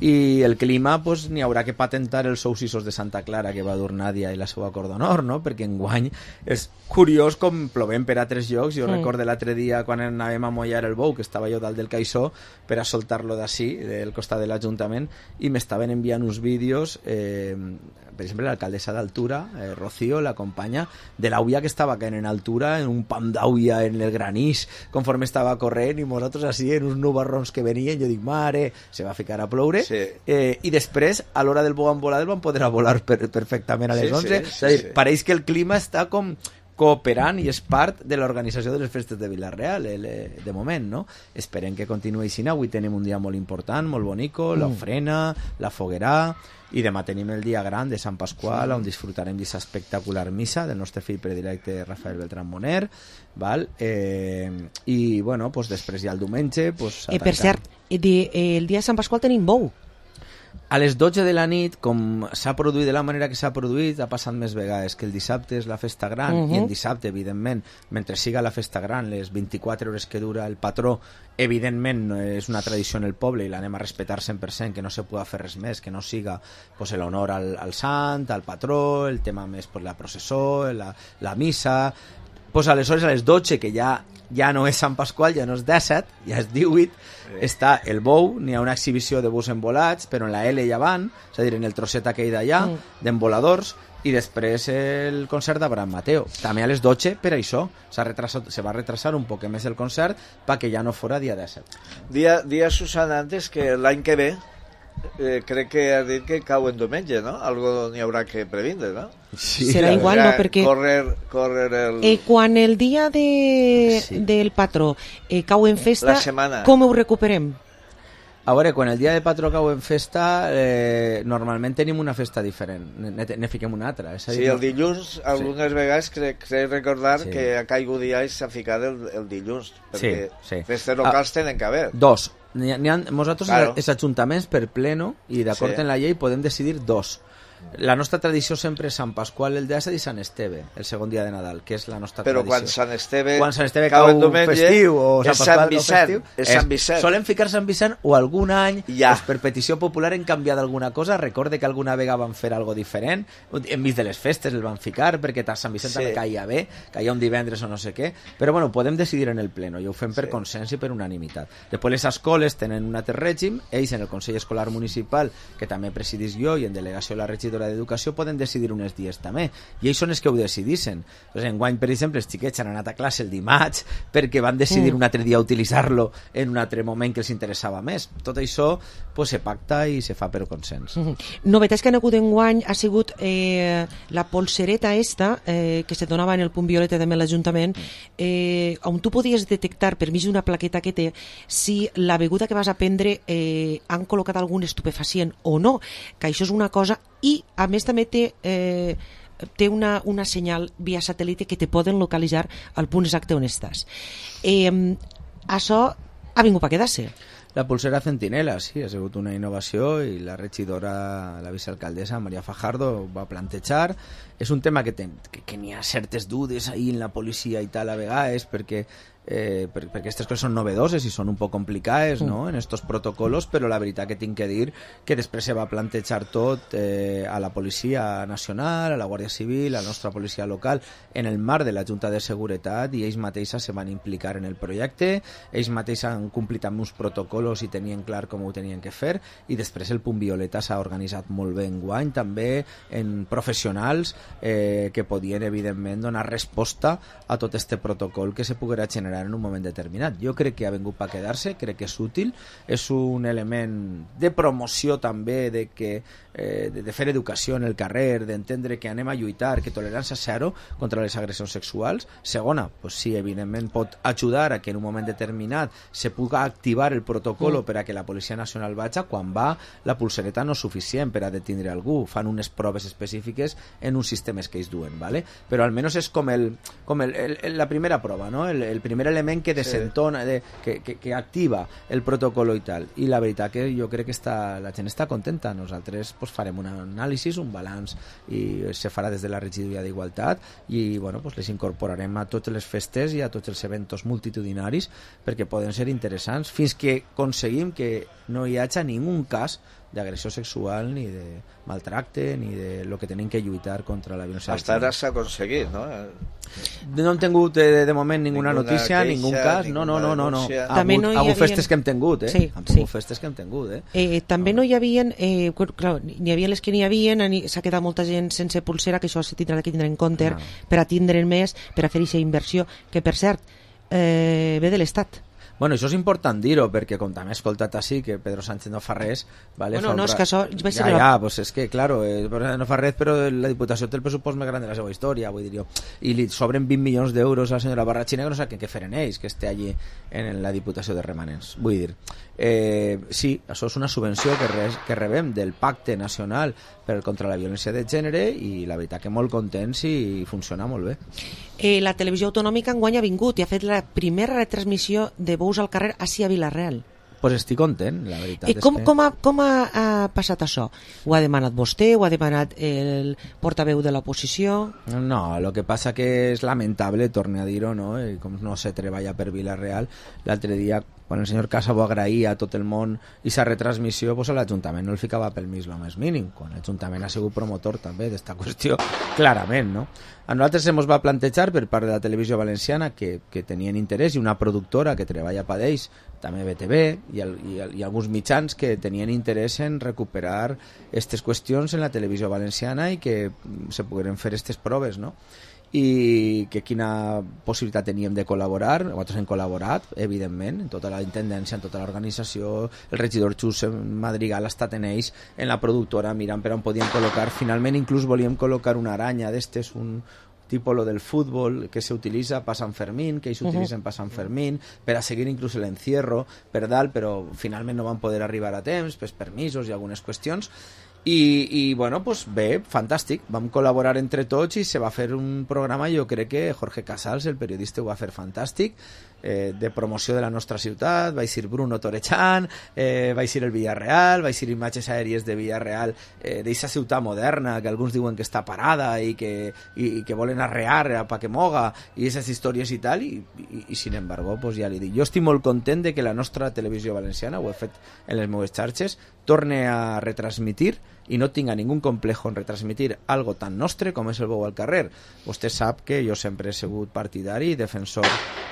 i el clima pues n'hi haurà que patentar els soucissos de Santa Clara que va dur Nàdia i la seva cor d'honor, no? Perquè enguany és curiós com plovem per a 3 llocs. Jo recordo l'altre dia quan anàvem a mollar el bou, que estava jo dalt del caixó per a soltar-lo d'ací, del costat de l'Ajuntament, i m'estaven enviant uns vídeos, per exemple l'alcaldessa d'Altura, Rocío, la companya, de l'auia que estava caent en altura, en un pam d'auia en el granís, conforme estava corrent, i nosaltres així en uns nubarrons que venien, jo dic, mare, se va ficar a ploure. I després, a l'hora del bou envolat, van poder volar perfectament a les 11. És a dir, pareix que el clima està com cooperant i és part de l'organització de les festes de Vila-real de moment, no? Esperem que continuï així. Avui tenim un dia molt important, molt bonico, l'ofrena, la foguerà, i demà tenim el dia gran de Sant Pasqual, on disfrutarem d'aquesta espectacular missa del nostre fill predilecte Rafael Beltrán Moner, val? I bueno, pues després ja el diumenge pues, per cert, el dia de Sant Pasqual tenim bou. A les 12 de la nit, com s'ha produït de la manera que s'ha produït, ha passat més vegades que el dissabte és la festa gran, i el dissabte, evidentment, mentre siga la festa gran, les 24 hores que dura el patró, evidentment és una tradició en el poble i l'anem a respectar 100%, que no se pugui fer res més, que no siga pues, l'honor al sant, al patró, el tema més pues, la processó, la missa. Pues aleshores a les 12, que ja no és Sant Pasqual, ja no és 17, ja és 18, està el bou, n'hi ha una exhibició de bous envolats, però en la L ja van, és a dir, en el trosset aquell d'allà, d'envoladors, i després el concert d'Abraham Mateo. També a les 12, per això, se va retrasar un poc més el concert perquè ja no fora dia 17. Dia Susana, antes que l'any que ve, crec que has dit que cau en diumenge, no? Algo n'hi haurà que previndre, no? Sí. Serà igual, no? Perquè córrer el... quan el dia del patró cau en festa, com ho recuperem? A veure, quan el dia de patró cau en festa, normalment tenim una festa diferent, ne fiquem una altra. Sí, el dilluns, algunes vegades crec recordar que a caigut dia s'ha ficat el dilluns, perquè festes locals tenen que haver. Nosaltres, els ajuntaments, per pleno, i d'acord en la llei, podem decidir 2. La nostra tradició sempre és Sant Pasqual el d'Àcid i Sant Esteve, el segon dia de Nadal, que és la nostra Però tradició. quan Sant Esteve cau en diumenge, festiu o és Sant Pasqual Sant Vicent, és Sant Vicent. Solem ficar Sant Vicent o algun any, pues, per petició popular hem canviat alguna cosa. Recorde que alguna vegada van fer algo diferent, enmig de les festes el van ficar, perquè Sant Vicent també caia bé, caia un divendres o no sé què, però bueno, podem decidir en el pleno, i ho fem per consens i per unanimitat. Després les escoles tenen un altre règim, ells en el Consell Escolar Municipal, que també presidís jo, i en delegació la regidora d'Educació, poden decidir uns dies també, i ells són els que ho decidissin. Pues enguany, per exemple, els xiquets han anat a classe el dimarts perquè van decidir un altre dia utilitzar-lo en un altre moment que els interessava més. Tot això pues, se pacta i se fa per consens. Novetats que han hagut enguany ha sigut la polsereta esta que se donava en el punt violeta també a l'Ajuntament, on tu podies detectar per mig d'una plaqueta que té si la beguda que vas a prendre han col·locat algun estupefacient o no, que això és una cosa, i a més també té una senyal via satèl·lite que te poden localitzar al punt exacte on estàs. Això ha vingut per quedar-se. La pulsera Centinela, sí, ha sigut una innovació i la regidora, la vicealcaldessa Maria Fajardo va plantejar. És un tema que n'hi ha certes dudes ahí en la policia i tal a vegades perquè aquestes coses són novedoses i són un poc complicades, no?, en estos protocolos, però la veritat que tinc que dir que després se va plantejar tot a la Policia Nacional, a la Guàrdia Civil, a la nostra policia local, en el marc de la Junta de Seguretat, i ells mateixos se van implicar en el projecte, ells mateixos han complit amb uns protocols i tenien clar com ho tenien que fer, i després el Punt Violeta s'ha organitzat molt bé enguany, també en professionals que podien, evidentment, donar resposta a tot este protocol que se poguera generar en un moment determinat. Jo crec que ha vingut per quedar-se, crec que és útil, és un element de promoció també, de fer educació en el carrer, d'entendre que anem a lluitar, que tolerància zero contra les agressions sexuals. Segona, pues sí, evidentment pot ajudar a que en un moment determinat se pugui activar el protocol per a que la Policia Nacional vagi quan va la pulsereta no és suficient per a detindre algú, fan unes proves específiques en uns sistemes que ells duen, ¿vale? Però almenys és com la primera prova, no? El primer element que desentona, que activa el protocol i tal. I la veritat que jo crec que la gent està contenta. Nosaltres pues, farem un anàlisi, un balanç, i se farà des de la regidoria d'Igualtat, i bueno, pues, les incorporarem a totes les festes i a tots els eventos multitudinaris perquè poden ser interessants fins que aconseguim que no hi hagi ningú cas d'agressió sexual, ni de maltracte, ni de lo que tenim que lluitar contra la violència. Hasta ara s'ha aconseguit, no? No hem tingut de moment ninguna notícia, ningún cas, no. Ha hagut festes que hem tingut, Sí. Festes que hem tingut, També no hi havia, clar, n'hi havia les que n'hi havia, s'ha quedat molta gent sense pulsera, que això se tindrà que tindre en compte per a tindre més, per a fer aquesta inversió, que per cert, ve de l'Estat. Bueno, això és important dir-ho, perquè com també he escoltat així que Pedro Sánchez no fa res, ¿vale? Bueno, no, és que això... pues és que, claro, no fa res, però la Diputació té el pressupost més gran de la seva història, vull dir jo. I li sobren 20 milions d'euros a la senyora Barrachina, que no sap què fer en ells, que esté allí en la Diputació de Remanents. Vull dir, sí, això és una subvenció que rebem del Pacte Nacional contra la Violència de Gènere, i la veritat que molt contents i funciona molt bé. La televisió autonòmica enguany ha vingut i ha fet la primera retransmissió de Bous al carrer així a Vila-real. Pues estic content, la veritat. Com ha passat això? Ho ha demanat vostè? Ho ha demanat el portaveu de l'oposició? No, el que passa que és lamentable, torne a dir-ho, no? I com no se treballa per Vila-real, l'altre dia, quan el senyor Casabo agraïa a tot el món i sa retransmissió, pues a l'Ajuntament no el ficava pel mig lo més mínim, quan l'Ajuntament ha sigut promotor també d'esta qüestió, clarament, no? A nosaltres se mos va plantejar per part de la televisió valenciana que tenien interès, i una productora que treballa per ells, també BTV, i alguns mitjans que tenien interès en recuperar aquestes qüestions en la televisió valenciana i que se pogueren fer aquestes proves, no? I que quina possibilitat teníem de col·laborar. Nosaltres hem col·laborat, evidentment, en tota la intendència, en tota l'organització. El regidor Xus Madrigal ha estat en ells, en la productora, mirant per on podíem col·locar. Finalment, inclús volíem col·locar una aranya d'estes, un tipus lo del futbol que se utilitza per Sant Fermín, que ells utilitzen per Sant Fermín, per a seguir inclús l'encierro per dalt, però finalment no van poder arribar a temps, per permisos i algunes qüestions. I bueno, pues bé, fantàstic, vam col·laborar entre tots i se va fer un programa. Jo crec que Jorge Casals, el periodista, ho va fer fantàstic, de promoció de la nostra ciutat, va ser Bruno Torechan, va ser el Villarreal, va ser imatges aèries de Villarreal, d'eixa ciutat moderna que alguns diuen que està parada i que volen arrear pa que moga, i aquestes històries i tal, i sin embargo, pues ja li dic, jo estic molt content de que la nostra televisió valenciana, ho he fet en les meves xarxes, torne a retransmitir i no tinga ningú complejo en retransmitir algo tan nostre com és el bou al carrer. Vostè sap que jo sempre he sigut partidari i defensor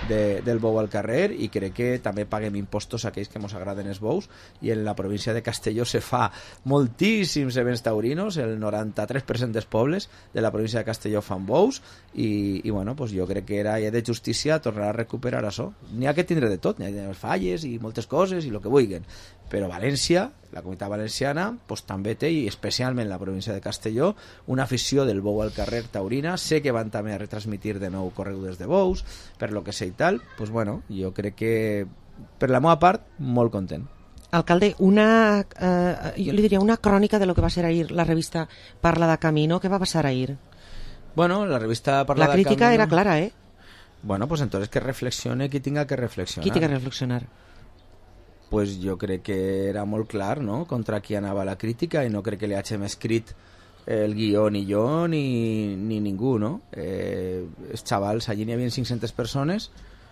del bou al carrer, i crec que també paguem impostos a aquells que ens agraden els bous, i en la província de Castelló se fa moltíssims events taurinos, el 93% dels pobles de la província de Castelló fan bous, i bueno, pues jo crec que era ja de justícia tornar a recuperar això. N'hi ha que tindre de tot, n'hi ha falles i moltes coses i el que vulguin, però València, la comunitat valenciana, pues, també té, i especialment la província de Castelló, una afició del bou al carrer taurina. Sé que van també a retransmitir de nou corregudes de bous, per lo que sé i tal, pues bueno, jo crec que per la meva part, molt content. Alcalde, jo li diria una crònica de lo que va ser ahir la revista Parla de Camino. Què va passar ahir? Bueno, la revista Parla de Camino... La crítica era clara, ¿eh? Bueno, pues entonces que reflexione qui tinga que reflexionar. Qui tinga que reflexionar? Pues jo crec que era molt clar, no?, contra qui anava la crítica, i no crec que li hàgim escrit el guió ni jo ni ningú, no? Els xavals, allí n'hi havia 500 persones,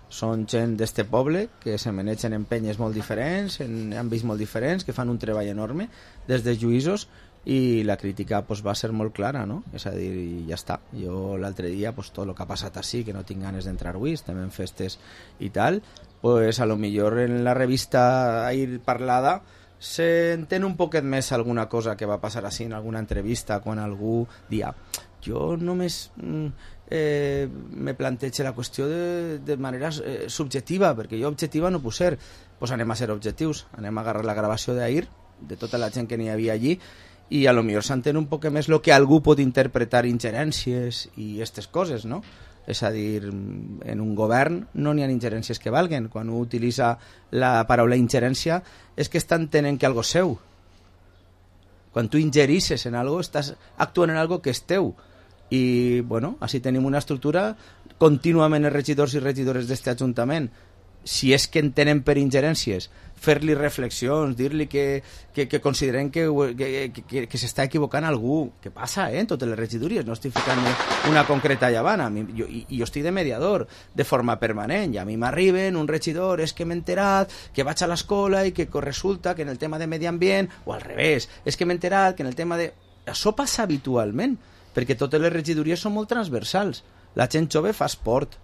són gent d'este poble que se manegen en penyes molt diferents, en àmbits molt diferents, que fan un treball enorme des dels lluïsos, i la crítica pues, va ser molt clara, no? És a dir, ja està. Jo l'altre dia, pues, tot el que ha passat així, que no tinc ganes d'entrar avui, estem en festes i tal, pues a lo millor en la revista ahir parlada se entén un poquet més alguna cosa que va passar així en alguna entrevista, quan algú dia jo només me plantejo la qüestió de manera subjetiva, perquè jo objectiva no puc ser. Pues anem a ser objectius, anem a agarrar la gravació d'ahir de tota la gent que n'hi havia allí, i a lo millor s'entén un poc més el que algú pot interpretar ingerències i aquestes coses, no? És a dir, en un govern no n'hi ha ingerències que valguen. Quan un utilitza la paraula ingerència és que està entenent que algo és seu. Quan tu ingerisses en algo, estàs actuant en algo que és teu. I, bueno, així tenim una estructura contínuament els regidors i regidores d'aquest Ajuntament. Si és que entenen per ingerències, fer-li reflexions, dir-li que consideren que s'està equivocant algú. Què passa, en totes les regidories? No estic ficant una concreta llavana. Jo estic de mediador, de forma permanent, i a mi m'arriben un regidor, és que m'he enterat que vaig a l'escola i que resulta que en el tema de medi ambient, o al revés, és que m'he enterat que en el tema de... Això passa habitualment, perquè totes les regidories són molt transversals. La gent jove fa esport,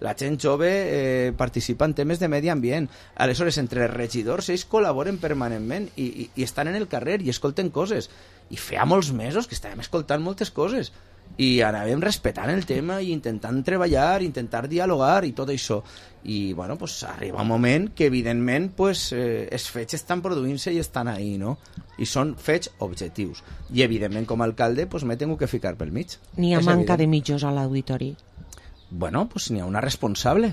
la gent jove participa en temes de medi ambient. Aleshores, entre els regidors, ells col·laboren permanentment i estan en el carrer i escolten coses. I feia molts mesos que estàvem escoltant moltes coses i anàvem respectant el tema i intentant treballar, intentar dialogar i tot això. I, bueno, pues arriba un moment que, evidentment, pues, els fets estan produint-se i estan ahí, no? I són fets objectius. I, evidentment, com a alcalde, pues, m'he tingut que ficar pel mig. N'hi ha manca de mitjos a l'auditori? Bueno, pues n'hi ha una responsable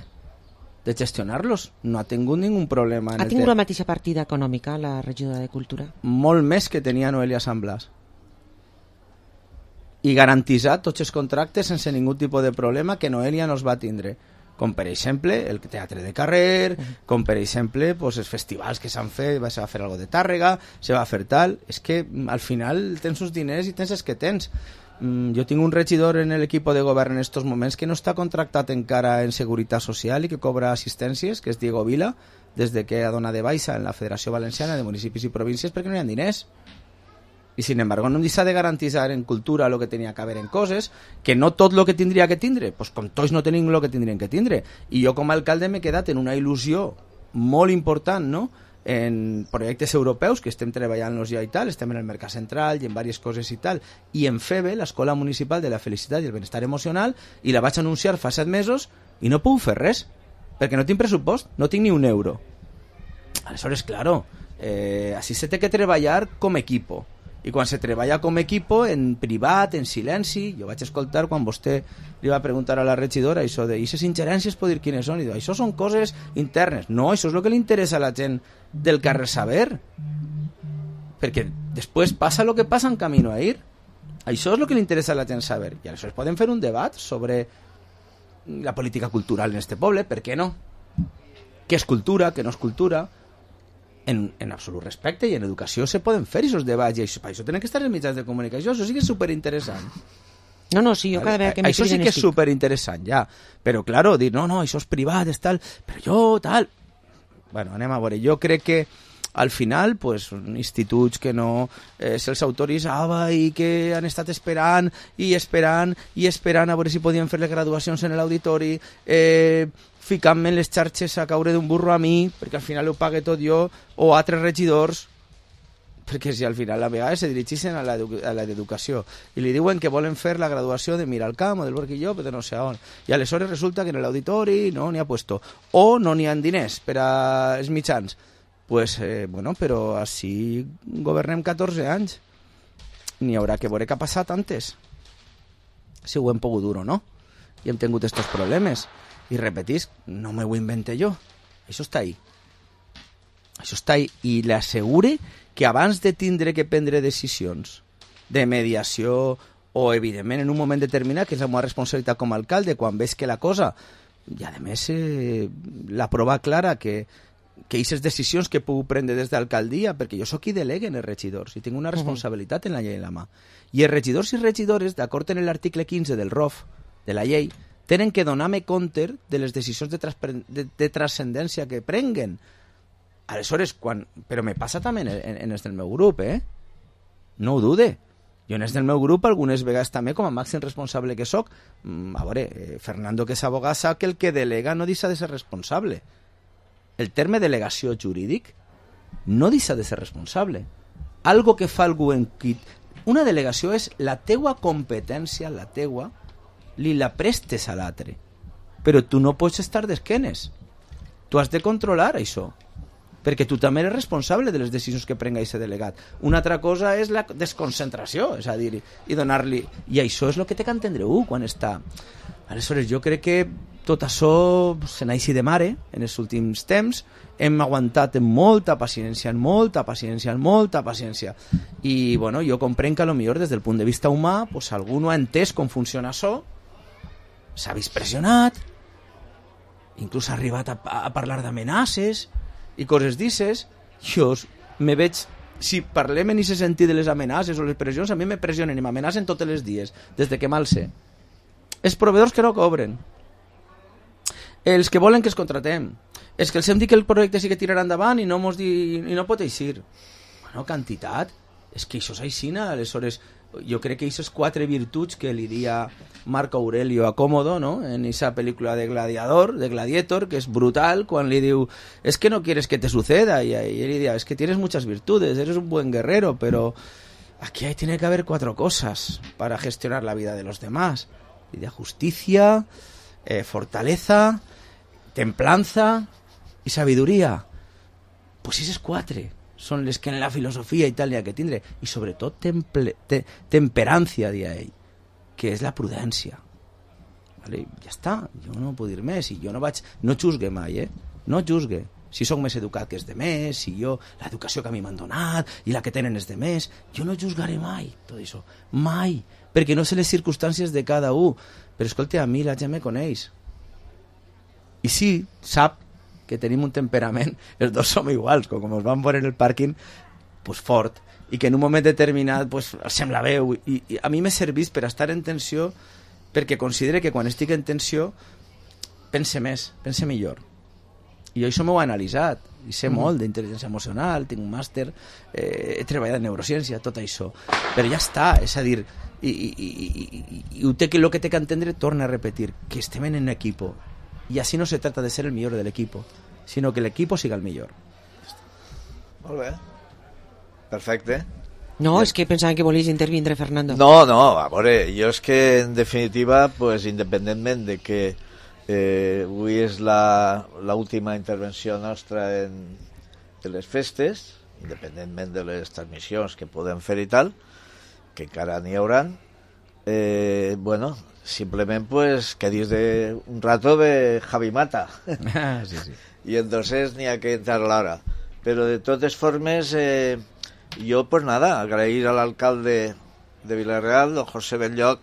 de gestionar-los. No ha tingut ningú problema. Ha tingut la mateixa partida econòmica la regidora de Cultura? Molt més que tenia Noelia Sant Blas. I garantitzar tots els contractes sense ningú tipus de problema que Noelia no els va tindre. Com per exemple el teatre de carrer, com per exemple pues, els festivals que s'han fet, se va fer algo de Tàrrega, se va fer tal. És que al final tens uns diners i tens els que tens. Jo tinc un regidor en l'equip de govern en estos moments que no està contractat encara en Seguretat Social i que cobra assistències, que és Diego Vila, des de que ha donat de baixa en la Federació Valenciana de Municipis i Províncies, perquè no hi ha diners. I, sin embargo, no s'ha de garantitzar en cultura el que tenia que haver en coses, que no tot el que tindria que tindre, pues com tots no tenim el que tindrien que tindre. I jo com a alcalde m'he quedat en una il·lusió molt important, no?, en projectes europeus que estem treballant-los ja i tal, estem en el Mercat Central i en diverses coses i tal, i en FEBE, l'Escola Municipal de la Felicitat i el Benestar Emocional, i la vaig anunciar fa 7 mesos i no puc fer res, perquè no tinc pressupost, no tinc ni un euro. Aleshores, claro, així se té que treballar com equipo, i quan se treballa com equipo, en privat, en silenci, jo vaig escoltar quan vostè li va preguntar a la regidora això de aquestes ingerències, pot dir quines són, i diu, això són coses internes. No, això és el que li interessa a la gent del carrer saber, perquè després passa el que passa en Camino a Ir. Això és el que li interessa a la gent saber, i aleshores podem fer un debat sobre la política cultural en este poble, per què no? què és cultura, què no és cultura, en absolut respecte, i en educació se poden fer aquests debats, i això tenen que estar en mitjans de comunicació, això sí que és superinteressant. No, sí, jo cada vegada que me això sí que és superinteressant, ja. Però, claro, dir, no, això és privat, és tal, però jo, tal... Bueno, anem a veure, jo crec que al final, pues, instituts que no se'ls autoritzava i que han estat esperant a veure si podien fer les graduacions en l'auditori, ficant-me en les xarxes a caure d'un burro a mi, perquè al final ho pague tot jo, o altres regidors, perquè si al final a vegades se dirigeixen a l'educació i li diuen que volen fer la graduació de Miralcamp o del Borquilló, però no sé on, i aleshores resulta que en l'auditori no n'hi ha puesto, o no n'hi ha diners per als mitjans. Pues, bueno, però així governem 14 anys. N'hi haurà que veure què ha passat antes. Si ho hem pogut dur o no. I hem tingut estos problemes. I repetisc, no me ho invente jo. Això està ahí. Això està ahí. I l'assegure que abans de tindre que prendre decisions de mediació o, evidentment, en un moment determinat, que és la meva responsabilitat com a alcalde, quan veig que la cosa... I, a més, la prova clara que aquestes decisions que puc prendre des d'alcaldia, perquè jo sóc qui deleguen els regidors i tinc una responsabilitat en la llei en la mà. I els regidors i regidores, d'acord amb l'article 15 del ROF, de la llei, tenen que donar-me compte de les decisions de transcendència que prenguen. Aleshores, però me passa també en els del meu grup, No ho dude. Jo en els del meu grup, algunes vegades també, com a màxim responsable que sóc, a veure, Fernando, que és abogat, sap que el que delega no deixa de ser responsable. El terme delegació jurídic no deixa de ser responsable. Algo que fa algú en qui... Una delegació és la teua competència, la teua, li la prestes a l'altre. Però tu no pots estar d'esquenes. Tu has de controlar això. Perquè tu també eres responsable de les decisions que prenga aquest delegat. Una altra cosa és la desconcentració, és a dir, i donar-li... I això és el que té que entendre quan està... Aleshores, jo crec que tot això se n'aixi de mare en els últims temps. Hem aguantat amb molta paciència, i bueno, jo comprenc que potser des del punt de vista humà pues, algú no ha entès com funciona això, s'ha vist pressionat, inclús ha arribat a parlar d'amenaces i coses d'ixes. Jo me veig, si parlem en aquest sentit de les amenaces o les pressions, a mi me pressionen i m'amenacen tots els dies, des de que m'alce. Els proveïdors que no cobren, els que volen que els contratem, els que els hem dit que el projecte sí que tirarà endavant i no pot eixir. Bueno, quantitat, és que això és aixina. Aleshores, jo crec que aquestes 4 virtuts que li dia Marco Aurelio a Cómodo, no? En aquesta pel·lícula de Gladiator, que és brutal, quan li diu, es que no quieres que te suceda, y él le dice, es que tienes muchas virtudes, eres un buen guerrero, pero aquí tiene que haber 4 cosas para gestionar la vida de los demás. Y de justicia, fortaleza, templanza y sabiduría. Pues esas 4 són les que en la filosofia i tal hi ha que tindre. I sobretot temperància, dia ell, que és la prudència. Vale? Ja està, jo no puc dir més. I jo no juzgue mai, no juzgue. Si sóc més educat que els demés, si jo, l'educació que a mi m'han donat i la que tenen els demés, jo no juzgaré mai tot això. Mai. Perquè no sé les circumstàncies de cada un. Però escolta, a mi la gent me coneix. I sí, sap que tenim un temperament, els dos som iguals, com ens vam veure en el pàrquing, pues fort, i que en un moment determinat pues, sembla veu, i a mi m'he servit per estar en tensió, perquè considere que quan estic en tensió pense més, pense millor. I jo això m'ho he analitzat, i sé molt d'intel·ligència emocional, tinc un màster, he treballat en neurociència, tot això, però ja està, és a dir, i el que té que entendre, torna a repetir, que estem en equipo. Y así no se trata de ser el mejor del equipo, sino que el equipo siga el mejor. Molt bé. Perfecte. No, és que pensava que volies intervindre, Fernando. No, a veure, jo és que en definitiva, pues, independentment de que avui és l'última intervenció nostra en les festes, independentment de les transmissions que podem fer i tal, que encara n'hi hauran, bueno, simplement pues que dius de un rato de Javi Mata. Sí. Y entonces ni a que entrar l'hora. Pero de totes formes, jo pues nada, agrair a l'alcalde de Vila-real, don José Belloc,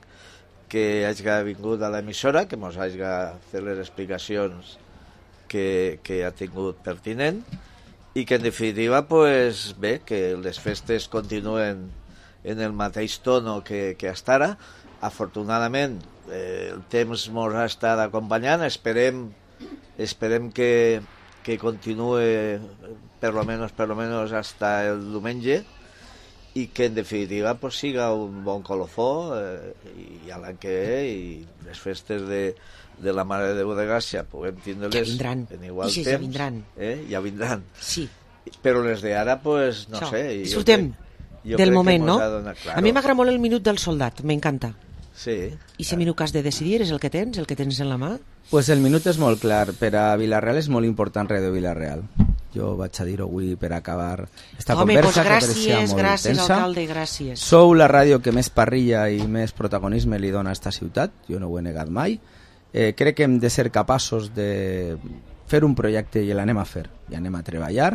que hagi vingut a l'emissora, que mos hagi fet les explicacions que ha tingut pertinent i que en definitiva pues, bé, que les festes continuen en el mateix tono que hasta ara. Afortunadament el temps ens ha estat acompanyant, esperem que continue per lo menos hasta el diumenge i que en definitiva pues, siga un bon colofó i a l'any que ve i les festes de la Mare de Déu de Gràcia puguem tindre-les en igual temps. Ja vindran. Ja vindran. Sí. Però les d'ara, pues, no sé. Disfrutem del moment, no? Claro. A mi m'agrada molt el minut del soldat, m'encanta. Sí. I si minut que has de decidir és el que tens en la mà? Pues el minut és molt clar. Per a Vila-real és molt important Ràdio Vila-real. Jo vaig a dir-ho avui per acabar esta conversa, que pareixia molt gràcies, tensa. alcalde, gràcies. Sou la ràdio que més parrilla i més protagonisme li dona a esta ciutat, jo no ho he negat mai. Crec que hem de ser capaços de fer un projecte i l'anem a fer, i anem a treballar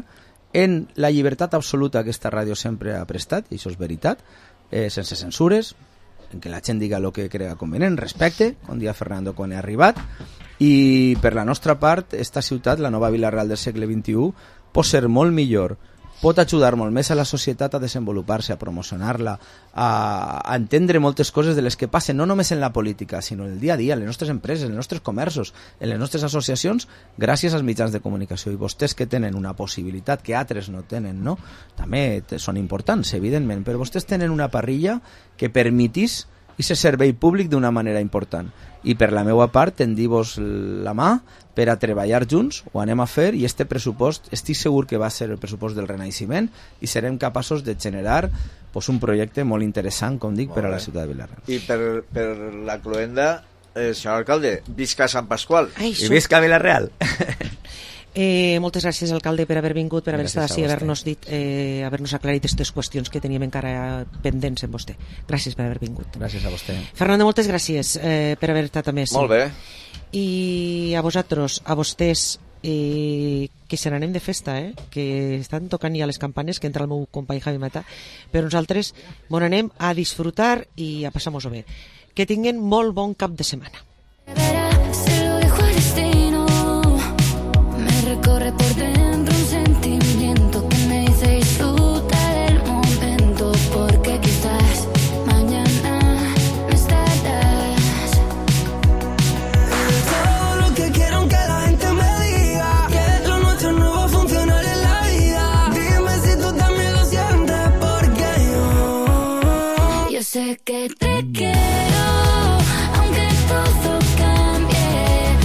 en la llibertat absoluta que esta ràdio sempre ha prestat, i això és veritat, sense censures, en què la gent diga el que crega convenient, respecte, com dia Fernando quan ha arribat, i per la nostra part, esta ciutat, la nova Vila-real del segle XXI, pot ser molt millor, pot ajudar molt més a la societat a desenvolupar-se, a promocionar-la, a entendre moltes coses de les que passen, no només en la política, sinó en el dia a dia, en les nostres empreses, en els nostres comerços, en les nostres associacions, gràcies als mitjans de comunicació. I vostès que tenen una possibilitat que altres no tenen, no? També són importants, evidentment, però vostès tenen una parrilla que permetís aquest servei públic d'una manera important. I per la meva part, tendir-vos la mà per a treballar junts, ho anem a fer, i este pressupost estic segur que va ser el pressupost del Renaixement i serem capaços de generar un projecte molt interessant, com dic, per a la ciutat de Vila-real. I per la cloenda, senyor alcalde, visca Sant Pasqual. I visca Vila-real. Moltes gràcies, alcalde, per haver vingut, per haver estat així, haver-nos aclarit aquestes qüestions que teníem encara pendents amb vostè. Gràcies per haver vingut. Gràcies a vostè. Fernando, moltes gràcies per haver estat també. Molt bé. I a vosaltres, a vostès, que se n'anem de festa, que estan tocant ja les campanes, que entra el meu company Javi Mata, però nosaltres bon anem a disfrutar i a passar-nos-ho bé. Que tinguin molt bon cap de setmana.